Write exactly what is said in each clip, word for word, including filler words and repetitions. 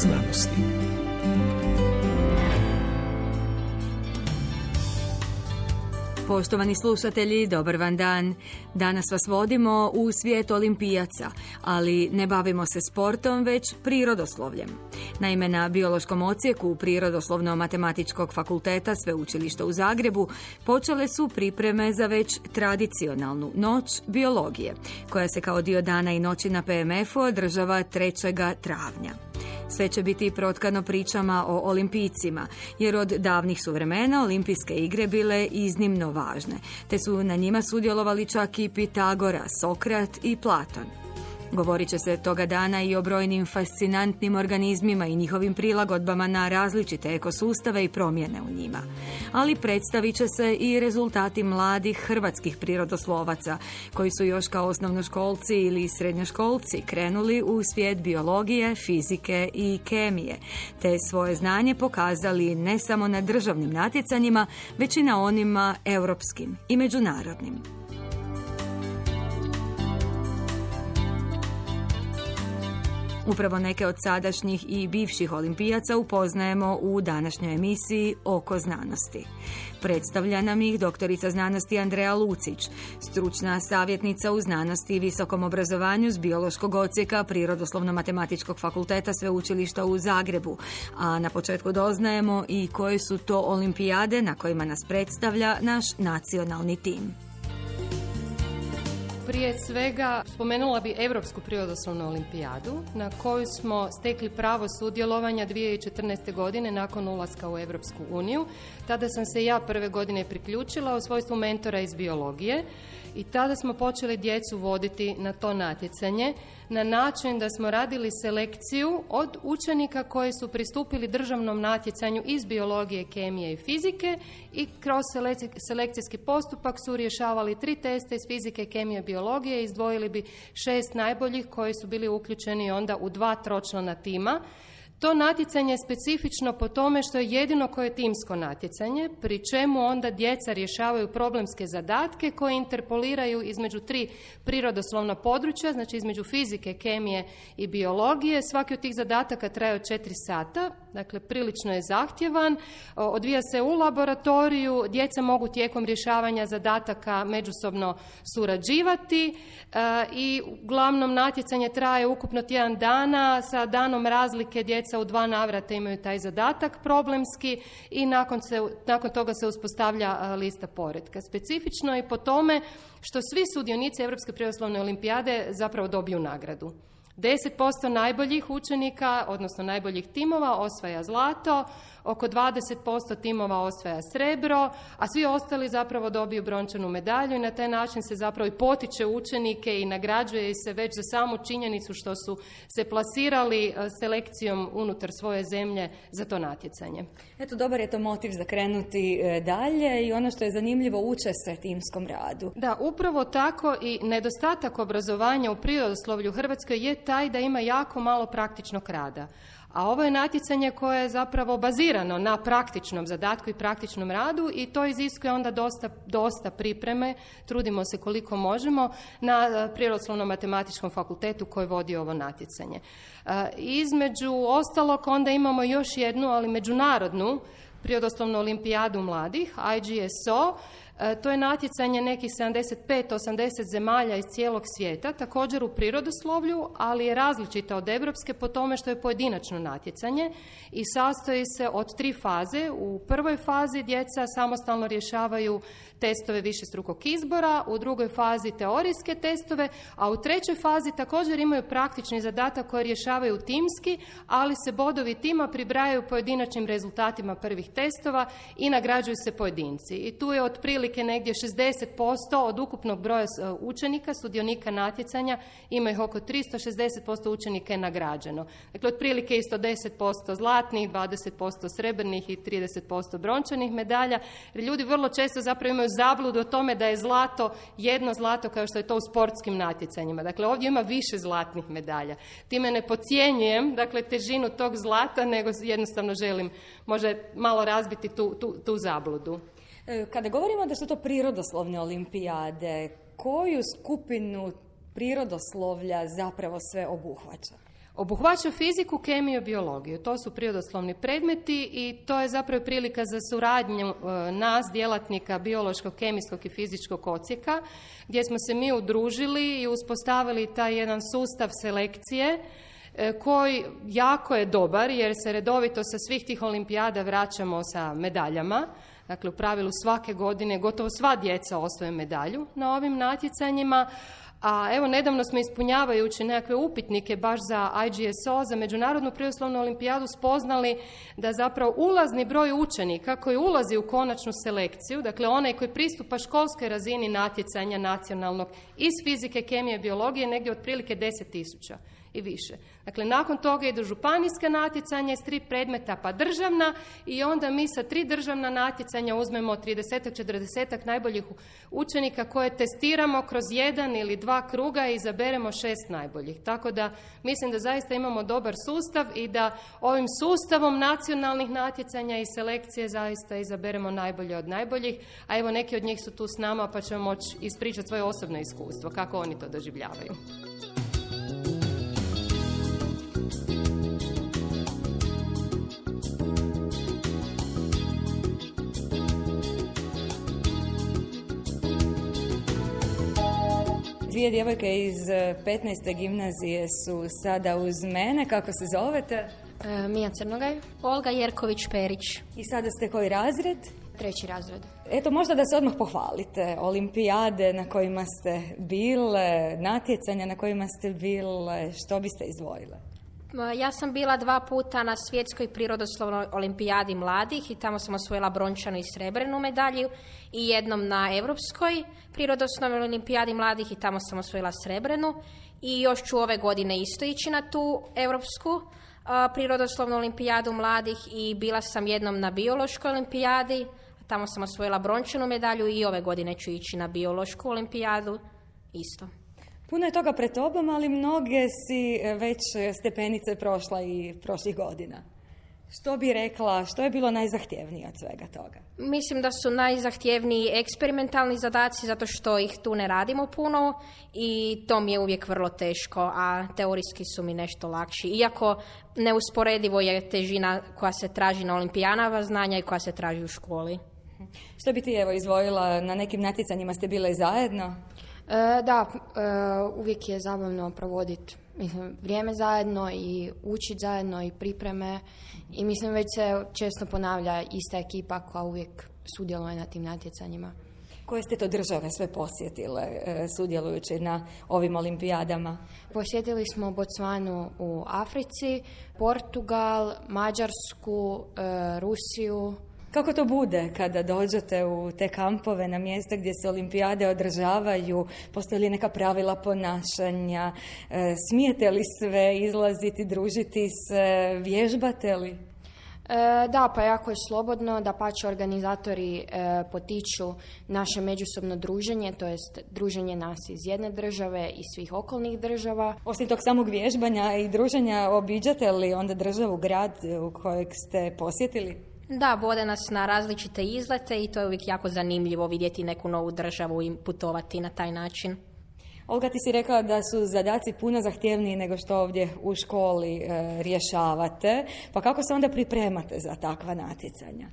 znanosti. Poštovani slušatelji, dobar vam dan. Danas vas vodimo u svijet olimpijaca, ali ne bavimo se sportom, već prirodoslovljem. Naime, na biološkom odsjeku Prirodoslovno-matematičkog fakulteta Sveučilišta u Zagrebu počele su pripreme za već tradicionalnu Noć biologije, koja se kao dio dana i noći na P M F-u održava trećeg travnja. Sve će biti protkano pričama o olimpijcima, jer od davnih su vremena olimpijske igre bile iznimno važne, te su na njima sudjelovali čak i Pitagora, Sokrat i Platon. Govorit će se toga dana i o brojnim fascinantnim organizmima i njihovim prilagodbama na različite ekosustave i promjene u njima. Ali predstavit će se i rezultati mladih hrvatskih prirodoslovaca, koji su još kao osnovnoškolci ili srednjoškolci krenuli u svijet biologije, fizike i kemije, te svoje znanje pokazali ne samo na državnim natjecanjima, već i na onima europskim i međunarodnim. Upravo neke od sadašnjih i bivših olimpijaca upoznajemo u današnjoj emisiji Oko znanosti. Predstavlja nam ih doktorica znanosti Andreja Lucić, stručna savjetnica u znanosti i visokom obrazovanju s biološkog odsjeka Prirodoslovno-matematičkog fakulteta Sveučilišta u Zagrebu. A na početku doznajemo i koje su to olimpijade na kojima nas predstavlja naš nacionalni tim. Prije svega spomenula bi Europsku prirodoslovnu olimpijadu na koju smo stekli pravo sudjelovanja dvije tisuće četrnaeste. godine nakon ulaska u Europsku uniju. Tada sam se ja prve godine priključila u svojstvu mentora iz biologije i tada smo počeli djecu voditi na to natjecanje na način da smo radili selekciju od učenika koji su pristupili državnom natjecanju iz biologije, kemije i fizike i kroz selekcijski postupak su rješavali tri testa iz fizike, kemije i biologije i izdvojili bi šest najboljih koji su bili uključeni onda u dva tročlana tima. To natjecanje je specifično po tome što je jedino koje je timsko natjecanje, pri čemu onda djeca rješavaju problemske zadatke koje interpoliraju između tri prirodoslovna područja, znači između fizike, kemije i biologije. Svaki od tih zadataka traje od četiri sata, dakle prilično je zahtjevan, odvija se u laboratoriju, djeca mogu tijekom rješavanja zadataka međusobno surađivati i uglavnom natjecanje traje ukupno tjedan dana, sa danom razlike djeca u dva navrata imaju taj zadatak problemski i nakon, se, nakon toga se uspostavlja lista poretka. Specifično je po tome što svi sudionici Europske prirodoslovne olimpijade zapravo dobiju nagradu. deset posto najboljih učenika, odnosno najboljih timova, osvaja zlato, oko dvadeset posto timova osvaja srebro, a svi ostali zapravo dobiju brončanu medalju i na taj način se zapravo i potiče učenike i nagrađuje se već za samu činjenicu što su se plasirali selekcijom unutar svoje zemlje za to natjecanje. Eto, dobar je to motiv za krenuti dalje i ono što je zanimljivo, uče se timskom radu. Da, upravo tako i nedostatak obrazovanja u prirodoslovlju u Hrvatskoj je taj da ima jako malo praktičnog rada. A ovo je natjecanje koje je zapravo bazirano na praktičnom zadatku i praktičnom radu i to iziskuje onda dosta, dosta pripreme, trudimo se koliko možemo, na Prirodoslovno-matematičkom fakultetu koji vodi ovo natjecanje. E, između ostalog onda imamo još jednu, ali međunarodnu prirodoslovnu olimpijadu mladih, I G S O. To je natjecanje nekih sedamdeset pet osamdeset zemalja iz cijelog svijeta, također u prirodoslovlju, ali je različita od europske po tome što je pojedinačno natjecanje i sastoji se od tri faze. U prvoj fazi djeca samostalno rješavaju testove višestrukog izbora, u drugoj fazi teorijske testove, a u trećoj fazi također imaju praktični zadatak koji rješavaju timski, ali se bodovi tima pribrajaju pojedinačnim rezultatima prvih testova i nagrađuju se pojedinci. I tu je otprilike negdje šezdeset posto od ukupnog broja učenika, sudionika natjecanja, ima ih oko tristo, šezdeset posto učenika je nagrađeno. Dakle, otprilike isto deset posto zlatnih, dvadeset posto srebrnih i trideset posto brončanih medalja. Jer ljudi vrlo često zapravo imaju zabludu o tome da je zlato jedno zlato kao što je to u sportskim natjecanjima. Dakle, ovdje ima više zlatnih medalja. Time ne podcjenjujem, dakle, težinu tog zlata, nego jednostavno želim možda malo razbiti tu, tu, tu zabludu. Kada govorimo da su to prirodoslovne olimpijade, koju skupinu prirodoslovlja zapravo sve obuhvaća? Obuhvaća fiziku, kemiju, biologiju. To su prirodoslovni predmeti i to je zapravo prilika za suradnju e, nas, djelatnika biološkog, kemijskog i fizičkog odsjeka, gdje smo se mi udružili i uspostavili taj jedan sustav selekcije e, koji jako je dobar jer se redovito sa svih tih olimpijada vraćamo sa medaljama. Dakle, u pravilu svake godine gotovo sva djeca osvoje medalju na ovim natjecanjima. A evo, nedavno smo ispunjavajući nekakve upitnike baš za I G S O, za Međunarodnu prirodoslovnu olimpijadu, spoznali da zapravo ulazni broj učenika koji ulazi u konačnu selekciju, dakle onaj koji pristupa školskoj razini natjecanja nacionalnog iz fizike, kemije i biologije, negdje otprilike deset tisuća i više. Dakle, nakon toga idu županijska natjecanja iz tri predmeta pa državna i onda mi sa tri državna natjecanja uzmemo trideset četrdeset najboljih učenika koje testiramo kroz jedan ili dva kruga i izaberemo šest najboljih. Tako da mislim da zaista imamo dobar sustav i da ovim sustavom nacionalnih natjecanja i selekcije zaista izaberemo najbolje od najboljih, a evo neki od njih su tu s nama pa ćemo moći ispričati svoje osobno iskustvo, kako oni to doživljavaju. Dvije djevojke iz petnaeste gimnazije su sada uz mene. Kako se zovete? E, Mija Crnogaj. Olga Jerković-Perić. I sada ste koji razred? Treći razred. Eto, možda da se odmah pohvalite. Olimpijade na kojima ste bile, natjecanja na kojima ste bile, što biste izdvojile? Ja sam bila dva puta na svjetskoj prirodoslovnoj olimpijadi mladih i tamo sam osvojila brončanu i srebrnu medalju i jednom na europskoj prirodoslovnoj olimpijadi mladih i tamo sam osvojila srebrnu i još ću ove godine isto ići na tu europsku uh, prirodoslovnu olimpijadu mladih i bila sam jednom na biološkoj olimpijadi, tamo sam osvojila brončanu medalju i ove godine ću ići na biološku olimpijadu isto. Puno je toga pred tobom, ali mnoge si već stepenice prošla i prošlih godina. Što bi rekla, što je bilo najzahtjevnije od svega toga? Mislim da su najzahtjevniji eksperimentalni zadaci zato što ih tu ne radimo puno i to mi je uvijek vrlo teško, a teorijski su mi nešto lakši. Iako neusporedivo je težina koja se traži na olimpijadama znanja i koja se traži u školi. Što bi ti evo izvojila, na nekim natjecanjima ste bile zajedno? E, da, e, uvijek je zabavno provoditi vrijeme zajedno i učiti zajedno i pripreme i mislim već se često ponavlja ista ekipa koja uvijek sudjeluje na tim natjecanjima. Koje ste to države sve posjetile e, sudjelujući na ovim olimpijadama? Posjetili smo Bocvanu u Africi, Portugal, Mađarsku, e, Rusiju. Kako to bude kada dođete u te kampove na mjesta gdje se olimpijade održavaju? Postoje li neka pravila ponašanja? E, smijete li sve izlaziti, družiti se, vježbate li? E, da, pa jako je slobodno, da pače organizatori e, potiču naše međusobno druženje, to jest druženje nas iz jedne države i svih okolnih država. Osim tog samog vježbanja i druženja, obiđate li onda državu, grad u kojeg ste posjetili? Da, vode nas na različite izlete i to je uvijek jako zanimljivo vidjeti neku novu državu i putovati na taj način. Olga, ti si rekla da su zadaci puno zahtjevniji nego što ovdje u školi e, rješavate. Pa kako se onda pripremate za takva natjecanja?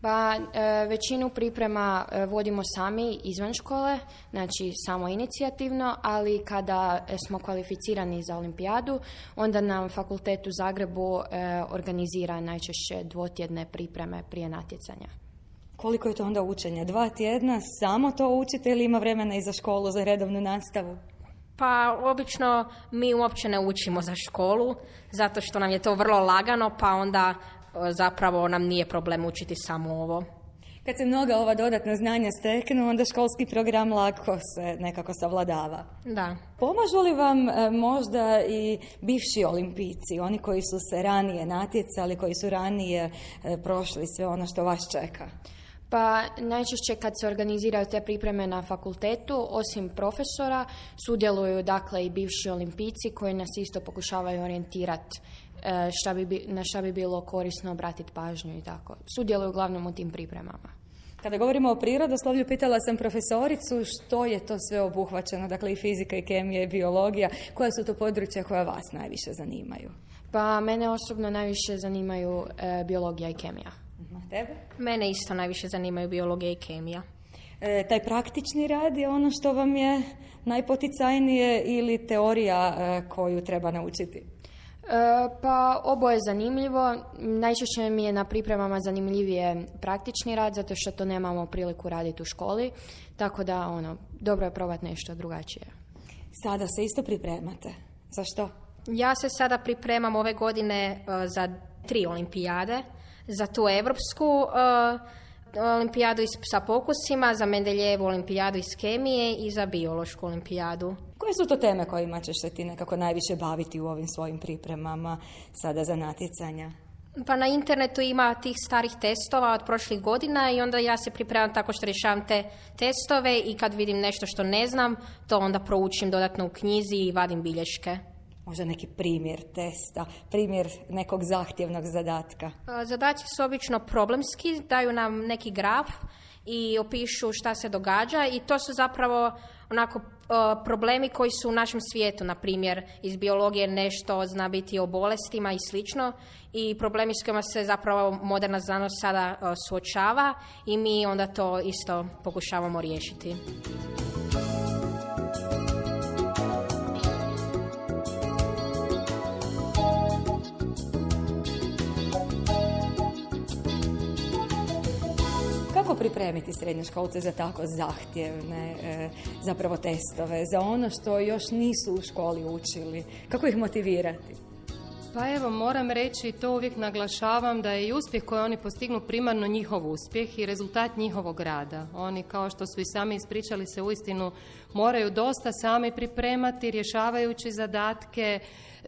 Pa e, većinu priprema e, vodimo sami izvan škole, znači samo inicijativno, ali kada smo kvalificirani za olimpijadu, onda nam fakultet u Zagrebu e, organizira najčešće dvotjedne pripreme prije natjecanja. Koliko je to onda učenja? Dva tjedna samo to učite ili ima vremena i za školu, za redovnu nastavu? Pa obično mi uopće ne učimo za školu, zato što nam je to vrlo lagano, pa onda zapravo nam nije problem učiti samo ovo. Kad se mnoga ova dodatna znanja steknu, onda školski program lako se nekako savladava. Da. Pomažu li vam e, možda i bivši olimpijci, oni koji su se ranije natjecali, koji su ranije e, prošli sve ono što vas čeka? Pa najčešće kad se organiziraju te pripreme na fakultetu, osim profesora, sudjeluju dakle i bivši olimpijci koji nas isto pokušavaju orijentirati šta bi, na šta bi bilo korisno obratiti pažnju i tako. Sudjeluju uglavnom u tim pripremama. Kada govorimo o prirodoslovlju, pitala sam profesoricu što je to sve obuhvaćeno, dakle i fizika i kemija i biologija, koja su to područja koja vas najviše zanimaju? Pa mene osobno najviše zanimaju e, biologija i kemija. Uh-huh. Tebe? Mene isto najviše zanimaju biologija i kemija. E, taj praktični rad je ono što vam je najpoticajnije ili teorija e, koju treba naučiti? E, pa oboje je zanimljivo. Najčešće mi je na pripremama zanimljivije praktični rad, zato što to nemamo priliku raditi u školi. Tako da, ono, dobro je probati nešto drugačije. Sada se isto pripremate. Za što? Ja se sada pripremam ove godine uh, za tri olimpijade. Za tu evropsku uh, olimpijadu iz, sa pokusima, za Mendeljejevu olimpijadu iz kemije i za biološku olimpijadu. Koje su to teme kojima ćeš se ti nekako najviše baviti u ovim svojim pripremama sada za natjecanja? Pa na internetu ima tih starih testova od prošlih godina i onda ja se pripremam tako što rješavam te testove i kad vidim nešto što ne znam, to onda proučim dodatno u knjizi i vadim bilješke. Možda neki primjer testa, primjer nekog zahtjevnog zadatka. Zadaci su obično problemski, daju nam neki graf i opišu šta se događa i to su zapravo onako problemi koji su u našem svijetu, na primjer iz biologije nešto zna biti o bolestima i slično i problemi s kojima se zapravo moderna znanost sada suočava i mi onda to isto pokušavamo riješiti. Kako pripremiti srednjoškolce za tako zahtjevne e, zapravo testove, za ono što još nisu u školi učili? Kako ih motivirati? Pa evo, moram reći, to uvijek naglašavam, da je i uspjeh koji oni postignu primarno njihov uspjeh i rezultat njihovog rada. Oni, kao što su i sami ispričali, se uistinu moraju dosta sami pripremati, rješavajući zadatke.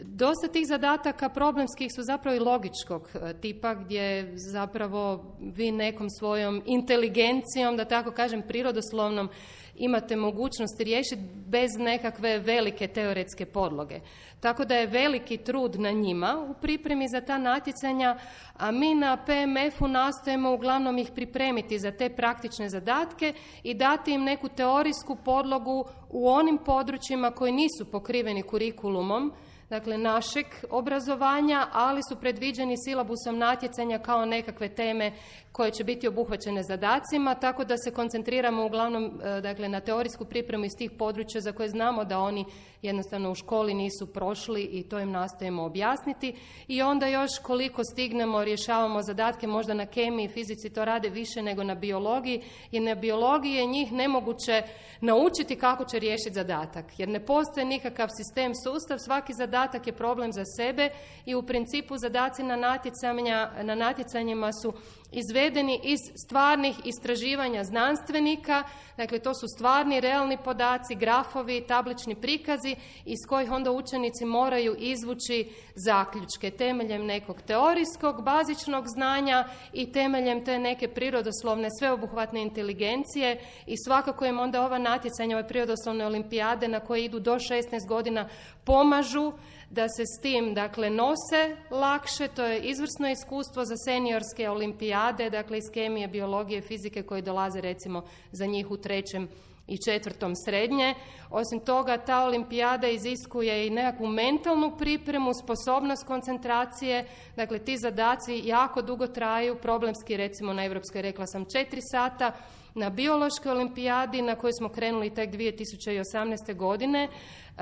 Dosta tih zadataka problemskih su zapravo i logičkog tipa, gdje zapravo vi nekom svojom inteligencijom, da tako kažem prirodoslovnom, imate mogućnost riješiti bez nekakve velike teoretske podloge. Tako da je veliki trud na njima u pripremi za ta natjecanja, a mi na P M F-u nastojimo uglavnom ih pripremiti za te praktične zadatke i dati im neku teorijsku podlogu u onim područjima koji nisu pokriveni kurikulumom, dakle našeg obrazovanja, ali su predviđeni silabusom natjecanja kao nekakve teme koje će biti obuhvaćene zadacima, tako da se koncentriramo uglavnom dakle, na teorijsku pripremu iz tih područja za koje znamo da oni jednostavno u školi nisu prošli i to im nastojimo objasniti. I onda još koliko stignemo rješavamo zadatke, možda na kemiji i fizici to rade više nego na biologiji, jer na biologiji je njih nemoguće naučiti kako će riješiti zadatak, jer ne postoji nikakav sistem, sustav, svaki zadatak je problem za sebe i u principu zadaci na, natjecanja, na natjecanjima su izvedeni iz stvarnih istraživanja znanstvenika, dakle to su stvarni, realni podaci, grafovi, tablični prikazi iz kojih onda učenici moraju izvući zaključke temeljem nekog teorijskog, bazičnog znanja i temeljem te neke prirodoslovne, sveobuhvatne inteligencije i svakako im onda ova natjecanja, ove prirodoslovne olimpijade na koje idu do šesnaest godina pomažu da se s tim dakle nose lakše. To je izvrsno iskustvo za seniorske olimpijade, dakle iz kemije, biologije, fizike koji dolaze recimo za njih u trećem i četvrtom srednje. Osim toga, ta olimpijada iziskuje i nekakvu mentalnu pripremu, sposobnost koncentracije, dakle ti zadaci jako dugo traju, problemski recimo na Europskoj, rekla sam, četiri sata, na biološkoj olimpijadi na kojoj smo krenuli tek dvije tisuće osamnaeste. godine,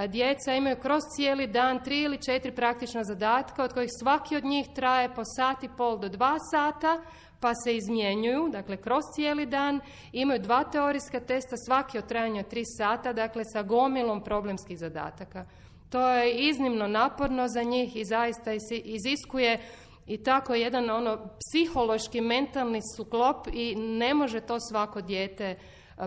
djeca imaju kroz cijeli dan tri ili četiri praktična zadatka, od kojih svaki od njih traje po sat i pol do dva sata, pa se izmjenjuju, dakle kroz cijeli dan, imaju dva teorijska testa, svaki od trajanja tri sata, dakle sa gomilom problemskih zadataka. To je iznimno naporno za njih i zaista iziskuje i tako jedan ono psihološki, mentalni sklop i ne može to svako dijete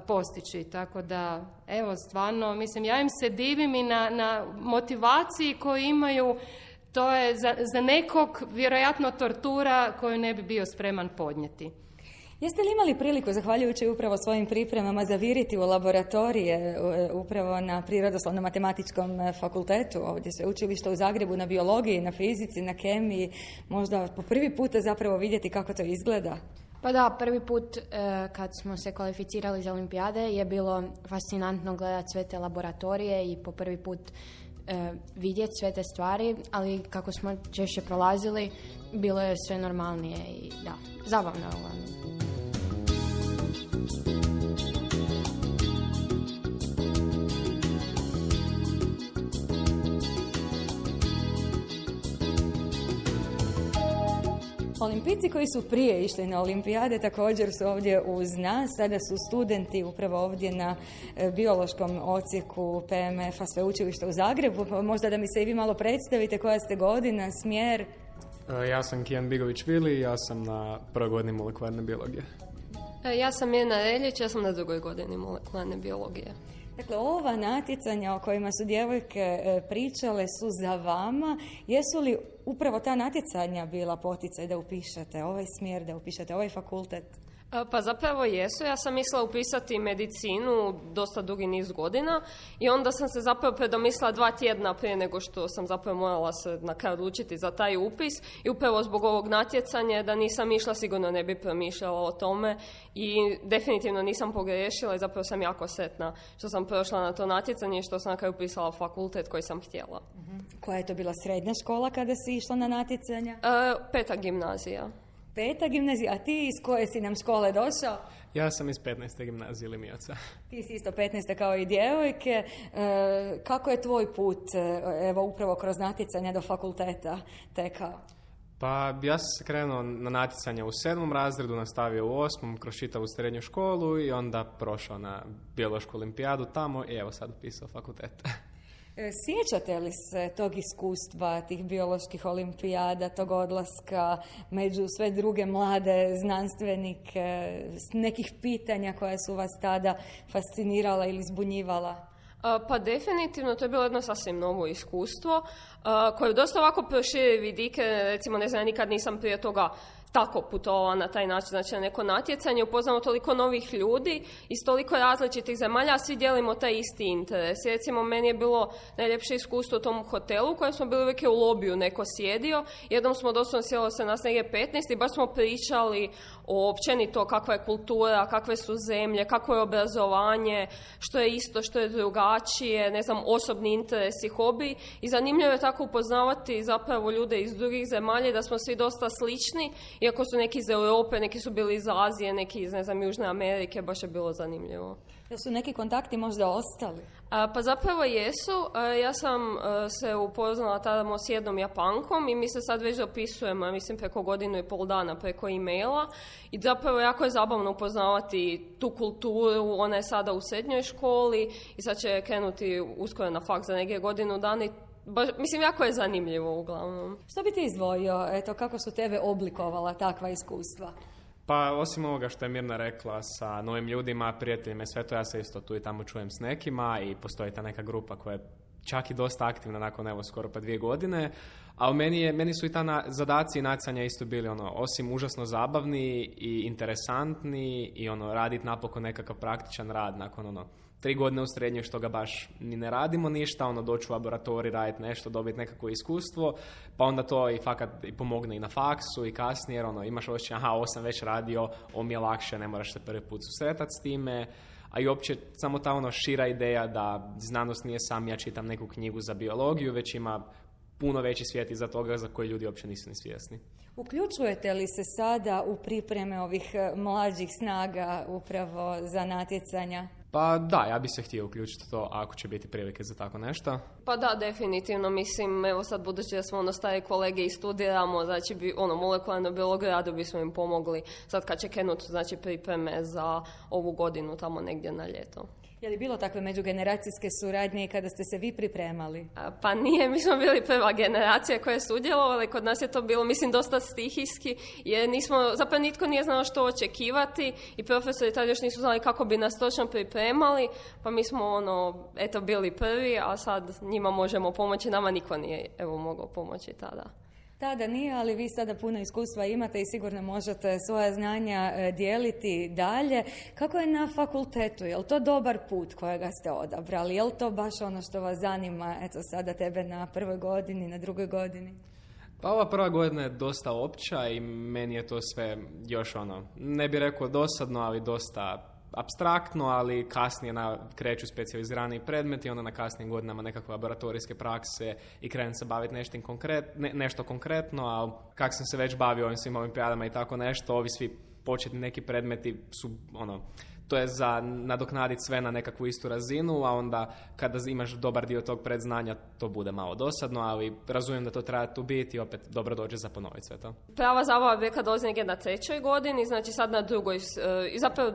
postići. Tako da, evo, stvarno, mislim, ja im se divim i na, na motivaciji koju imaju. To je za, za nekog vjerojatno tortura koju ne bi bio spreman podnijeti. Jeste li imali priliku, zahvaljujući upravo svojim pripremama, zaviriti u laboratorije upravo na Prirodoslovno-matematičkom fakultetu, ovdje sveučilišta u Zagrebu, na biologiji, na fizici, na kemiji, možda po prvi puta zapravo vidjeti kako to izgleda? Pa da, prvi put e, kad smo se kvalificirali za olimpijade je bilo fascinantno gledati sve te laboratorije i po prvi put e, vidjeti sve te stvari, ali kako smo češće prolazili, bilo je sve normalnije i da, zabavno je uglavnom. Olimpijci koji su prije išli na olimpijade također su ovdje uz nas. Sada su studenti upravo ovdje na biološkom odsjeku P M F-a Sveučilišta u Zagrebu. Pa možda da mi se i vi malo predstavite, koja ste godina, smjer? Ja sam Kijan Bigović-Vili, ja sam na prvoj godini molekularne biologije. Ja sam Mirna Reljić, ja sam na drugoj godini molekularne biologije. Dakle, ova natjecanja o kojima su djevojke pričale su za vama. Jesu li upravo ta natjecanja bila poticaj da upišete ovaj smjer, da upišete ovaj fakultet? Pa zapravo jesu. Ja sam mislila upisati medicinu dosta dugi niz godina i onda sam se zapravo predomislila dva tjedna prije nego što sam zapravo morala se na kraju odlučiti za taj upis i upravo zbog ovog natjecanja da nisam išla sigurno ne bi promišljala o tome i definitivno nisam pogriješila i zapravo sam jako sretna što sam prošla na to natjecanje i što sam na kraju upisala fakultet koji sam htjela. Uh-huh. Koja je to bila srednja škola kada si išla na natjecanja? E, peta gimnazija. Peta gimnazija, a ti iz koje si nam škole došao? Ja sam iz petnaeste gimnazije Limijaca. Ti si isto petnaeste kao i djevojke. E, kako je tvoj put, evo upravo kroz natjecanja do fakulteta tekao? Pa ja sam se krenuo na natjecanje u sedmom razredu, nastavio u osmom, kroz čitavu srednju školu i onda prošao na biološku olimpijadu tamo i evo sad upisao fakultet. Sjećate li se tog iskustva, tih bioloških olimpijada, tog odlaska među sve druge mlade znanstvenike, nekih pitanja koja su vas tada fascinirala ili zbunjivala? Pa definitivno, to je bilo jedno sasvim novo iskustvo koje dosta ovako proširi vidike, recimo ne znam, nikad nisam prije toga tako putovala na taj način, znači na neko natjecanje, upoznamo toliko novih ljudi iz toliko različitih zemalja, a svi dijelimo taj isti interes. Recimo, meni je bilo najljepše iskustvo u tom hotelu u kojem smo bili uvijek u lobiju, neko sjedio, jednom smo doslovno sjelo se nas negdje petnaest i baš smo pričali o općenito kakva je kultura, kakve su zemlje, kakvo je obrazovanje, što je isto, što je drugačije, ne znam, osobni interesi, hobi i zanimljivo je tako upoznavati zapravo ljude iz drugih zemalja da smo svi dosta slični. Iako su neki iz Europe, neki su bili iz Azije, neki iz, ne znam, Južne Amerike, baš je bilo zanimljivo. Da su neki kontakti možda ostali? A, pa zapravo jesu. A, ja sam a, se upoznala tamo s jednom Japankom i mi se sad već dopisujemo, mislim, preko godinu i pol dana preko e-maila i zapravo jako je zabavno upoznavati tu kulturu. Ona je sada u srednjoj školi i sad će krenuti uskoro na faks za neke godinu dana i Ba, mislim, jako je zanimljivo uglavnom. Što bi ti izdvojio? Eto, kako su tebe oblikovala takva iskustva? Pa, osim ovoga što je Mirna rekla sa novim ljudima, prijateljima i sve to, ja se isto tu i tamo čujem s nekima i postoji ta neka grupa koja je čak i dosta aktivna nakon, evo, skoro pa dvije godine. A u meni, je, meni su i ta na, zadaci i nacanja isto bili, ono, osim užasno zabavni i interesantni i, ono, raditi napokon nekakav praktičan rad nakon, ono, tri godine u srednjoj što ga baš ni ne radimo ništa, ono, doći u laboratorij, raditi nešto, dobiti nekako iskustvo, pa onda to i fakat i pomogne i na faksu i kasnije, jer ono, imaš osjećaj, aha, ovo sam već radio, ovo mi je lakše, ne moraš se prvi put susretati s time, a i uopće samo ta ono šira ideja da znanost nije sam ja čitam neku knjigu za biologiju, već ima puno veći svijet iza toga za koji ljudi uopće nisu ni svjesni. Uključujete li se sada u pripreme ovih mlađih snaga upravo za natjecanja? Pa da, ja bih se htio uključiti to ako će biti prilike za tako nešto. Pa da, definitivno, mislim, evo sad budući da smo ono stari kolege i studiramo, znači bi, ono, molekularnu biologiju, rado bismo im pomogli sad kad će krenuti, znači, pripreme za ovu godinu tamo negdje na ljeto. Je li bilo takve međugeneracijske suradnje i kada ste se vi pripremali? A, pa nije, mi smo bili prva generacija koja je sudjelovala, kod nas je to bilo, mislim, dosta stihijski, jer nismo, zapravo nitko nije znao što očekivati i profesori tad još nisu znali kako bi nas točno pripremali, pa mi smo, ono, eto, bili prvi, a sad njima možemo pomoći, nama niko nije, evo, mogao pomoći tada. Tada nije, ali vi sada puno iskustva imate i sigurno možete svoja znanja dijeliti dalje. Kako je na fakultetu? Je li to dobar put kojega ste odabrali? Je li to baš ono što vas zanima, eto sada tebe na prvoj godini, na drugoj godini? Pa ova prva godina je dosta opća i meni je to sve još ono, ne bih rekao dosadno, ali dosta apstraktno, ali kasnije na, kreću specijalizirani predmeti, onda na kasnijim godinama nekakve laboratorijske prakse i krenem se baviti nešto, konkret, ne, nešto konkretno, a kak sam se već bavio ovim svim olimpijadama i tako nešto, ovi svi početni neki predmeti su ono, to je za nadoknaditi sve na nekakvu istu razinu, a onda kada imaš dobar dio tog predznanja, to bude malo dosadno, ali razumijem da to treba tu biti i opet dobro dođe za ponoviti sve to. Prava zabava beka dolazi negdje na trećoj godini, znači sad na drugoj, i zapravo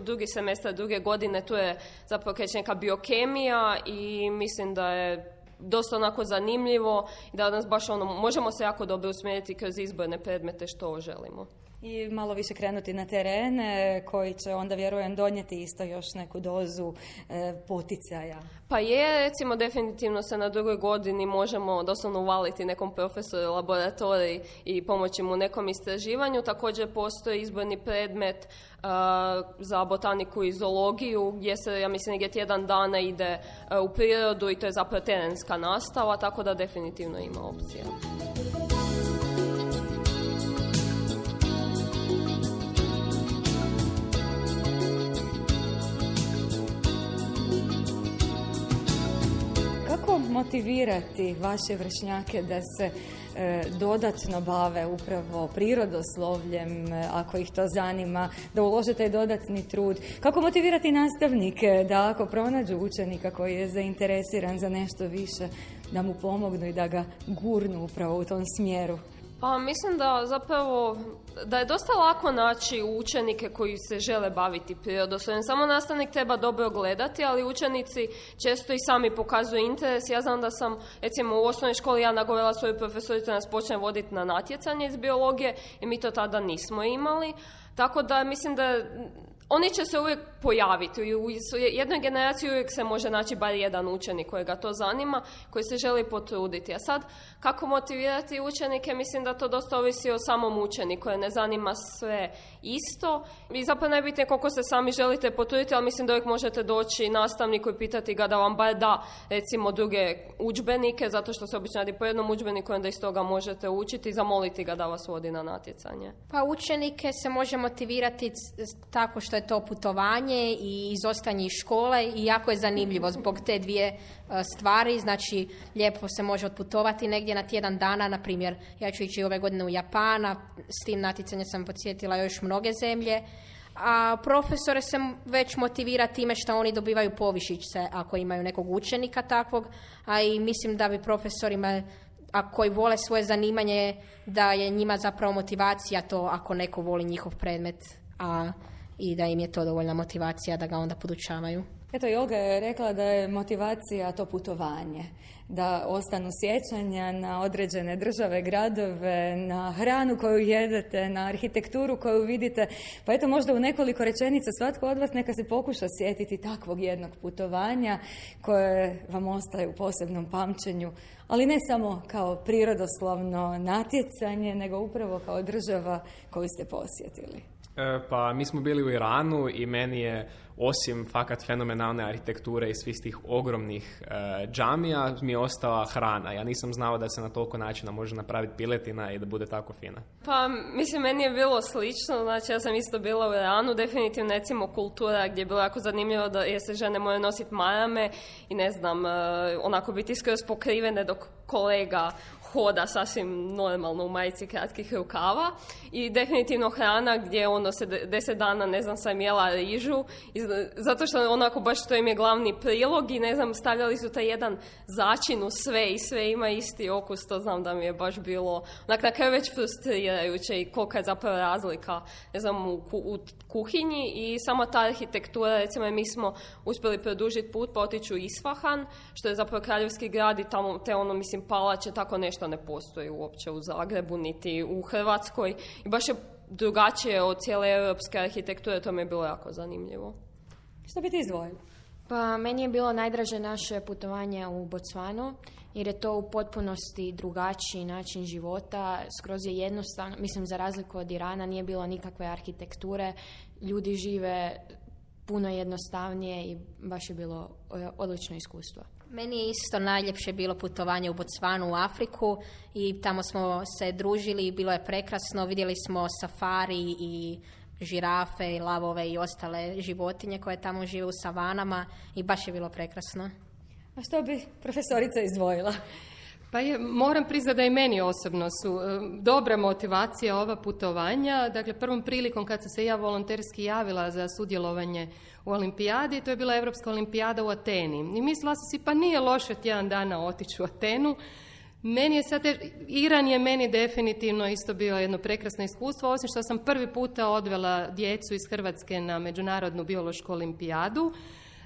drugi semestar druge godine, tu je zapravo kreće neka biokemija i mislim da je dosta onako zanimljivo i da nas baš ono, možemo se jako dobro usmjeriti kroz izborne predmete što želimo. I malo više krenuti na terene koji će onda, vjerujem, donijeti isto još neku dozu e, poticaja. Pa je, recimo, definitivno se na drugoj godini možemo doslovno uvaliti nekom profesoru laboratoriji i pomoći mu u nekom istraživanju. Također postoji izborni predmet uh, za botaniku i zoologiju gdje se, ja mislim, negdje tjedan dana ide uh, u prirodu i to je zapravo terenska nastava, tako da definitivno ima opcija. Motivirati vaše vršnjake da se e, dodatno bave upravo prirodoslovljem, e, ako ih to zanima, da ulože taj dodatni trud? Kako motivirati nastavnike da ako pronađu učenika koji je zainteresiran za nešto više, da mu pomognu i da ga gurnu upravo u tom smjeru? Pa mislim da zapravo da je dosta lako naći učenike koji se žele baviti prirodoslovljem. Samo nastavnik treba dobro gledati, ali učenici često i sami pokazuju interes. Ja znam da sam, recimo, u osnovnoj školi ja nagovorila svoju profesoricu da nas počne voditi na natjecanje iz biologije i mi to tada nismo imali. Tako da mislim da oni će se uvijek pojaviti. U jednoj generaciji uvijek se može naći bar jedan učenik kojega to zanima, koji se želi potruditi. A sad, kako motivirati učenike, mislim da to dosta ovisi o samom učeniku, koje ne zanima sve isto. I zapravo najbitnije koliko se sami želite potruditi, ali mislim da uvijek možete doći nastavniku i pitati ga da vam bar da, recimo, druge udžbenike, zato što se obično radi po jednom udžbeniku, onda iz toga možete učiti i zamoliti ga da vas vodi na natjecanje. Pa učenike se može motivirati tako što je to putovanje i izostanje iz škole i jako je zanimljivo zbog te dvije stvari. Znači, lijepo se može otputovati negdje na tjedan dana, na primjer, ja ću ići ove godine u Japan, a s tim natjecanjem sam podsjetila još mnoge zemlje. A profesore se već motivira time što oni dobivaju povišice ako imaju nekog učenika takvog, a i mislim da bi profesorima, a koji vole svoje zanimanje, da je njima zapravo motivacija to ako neko voli njihov predmet, a i da im je to dovoljna motivacija da ga onda podučavaju. Eto, i Olga je rekla da je motivacija to putovanje, da ostanu sjećanja na određene države, gradove, na hranu koju jedete, na arhitekturu koju vidite. Pa eto, možda u nekoliko rečenica svatko od vas neka se pokuša sjetiti takvog jednog putovanja koje vam ostaje u posebnom pamćenju, ali ne samo kao prirodoslovno natjecanje, nego upravo kao država koju ste posjetili. Pa mi smo bili u Iranu i meni je, osim fakat fenomenalne arhitekture i svih tih ogromnih e, džamija, mi je ostala hrana. Ja nisam znao da se na toliko načina može napraviti piletina i da bude tako fina. Pa mislim, meni je bilo slično. Znači, ja sam isto bila u Iranu, definitivno, recimo, kultura gdje je bilo jako zanimljivo da je se žene moraju nositi marame i ne znam, e, onako biti skroz pokrivene dok kolega hoda sasvim normalno u majici kratkih rukava i definitivno hrana gdje ono se deset dana, ne znam, sam jela rižu i zato što onako baš to im je glavni prilog i ne znam, stavljali su taj jedan začin u sve i sve ima isti okus, to znam da mi je baš bilo onak na kraju već frustrirajuće i kolika je zapravo razlika, ne znam, u, u kuhinji i sama ta arhitektura, recimo mi smo uspjeli produžiti put pa otići u Isfahan, što je zapravo kraljevski grad i tamo te ono, mislim, palače, tako nešto ne postoji uopće u Zagrebu niti u Hrvatskoj i baš je drugačije od cijele europske arhitekture, to mi je bilo jako zanimljivo. Što bi ti izdvojila? Pa meni je bilo najdraže naše putovanje u Bocvanu, jer je to u potpunosti drugačiji način života, skroz je jednostavno, mislim, za razliku od Irana nije bilo nikakve arhitekture, ljudi žive puno jednostavnije i baš je bilo odlično iskustvo. Meni je isto najljepše bilo putovanje u Bocvanu u Afriku i tamo smo se družili i bilo je prekrasno. Vidjeli smo safari i žirafe i lavove i ostale životinje koje tamo žive u savanama i baš je bilo prekrasno. A što bi profesorica izdvojila? Pa je, moram priznati da i meni osobno su e, dobra motivacija ova putovanja. Dakle, prvom prilikom kad sam se ja volonterski javila za sudjelovanje u olimpijadi, to je bila Europska olimpijada u Ateni. I mislila sam si, pa nije loše tjedan dana otići u Atenu. Meni je sad, Iran je meni definitivno isto bio jedno prekrasno iskustvo, osim što sam prvi puta odvela djecu iz Hrvatske na Međunarodnu biološku olimpijadu.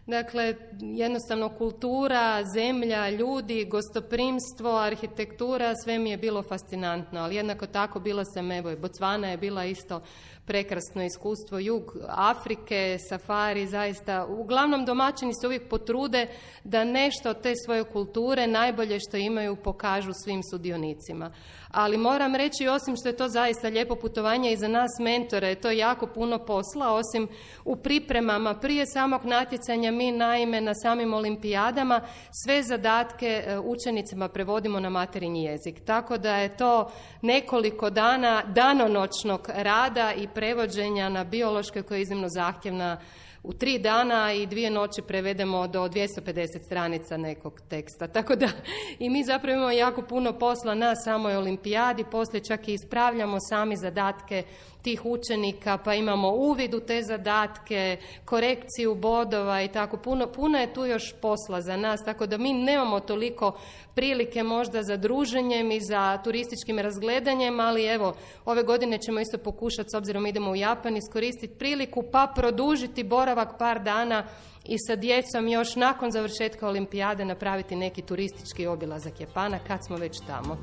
Dakle, jednostavno kultura, zemlja, ljudi, gostoprimstvo, arhitektura, sve mi je bilo fascinantno, ali jednako tako bila sam, evo, i Bocvana je bila isto prekrasno iskustvo, jug Afrike, safari, zaista, uglavnom domaćini se uvijek potrude da nešto od te svoje kulture, najbolje što imaju, pokažu svim sudionicima. Ali moram reći, osim što je to zaista lijepo putovanje i za nas mentore, je to jako puno posla, osim u pripremama prije samog natjecanja, mi naime na samim olimpijadama sve zadatke učenicima prevodimo na materinji jezik. Tako da je to nekoliko dana danonoćnog rada i prevođenja na biološke koja je iznimno zahtjevna. U tri dana i dvije noći prevedemo do dvjesto pedeset stranica nekog teksta. Tako da i mi zapravo imamo jako puno posla na samoj olimpijadi, poslije čak i ispravljamo sami zadatke tih učenika, pa imamo uvid u te zadatke, korekciju bodova i tako. Puno, puno je tu još posla za nas, tako da mi nemamo toliko prilike možda za druženjem i za turističkim razgledanjem, ali evo, ove godine ćemo isto pokušati, s obzirom idemo u Japan, iskoristiti priliku pa produžiti boravak par dana i sa djecom još nakon završetka olimpijade napraviti neki turistički obilazak Japana kad smo već tamo.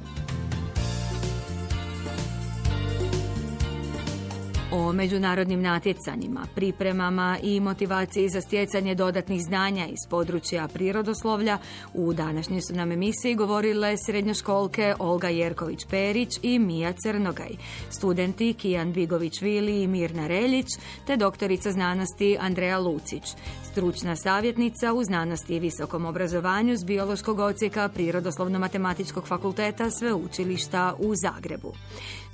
O međunarodnim natjecanjima, pripremama i motivaciji za stjecanje dodatnih znanja iz područja prirodoslovlja u današnjoj su nam emisiji govorile srednjoškolke Olga Jerković-Perić i Mija Crnogaj, studenti Kijan Bigović-Vili i Mirna Reljić, te doktorica znanosti Andreja Lucić, stručna savjetnica u znanosti i visokom obrazovanju s biološkog odsjeka Prirodoslovno-matematičkog fakulteta Sveučilišta u Zagrebu.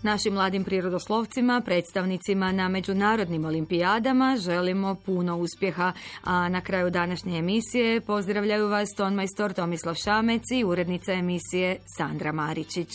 Našim mladim prirodoslovcima, predstavnicima na međunarodnim olimpijadama želimo puno uspjeha, a na kraju današnje emisije pozdravljaju vas tonmajstor Tomislav Šamec i urednica emisije Sandra Maričić.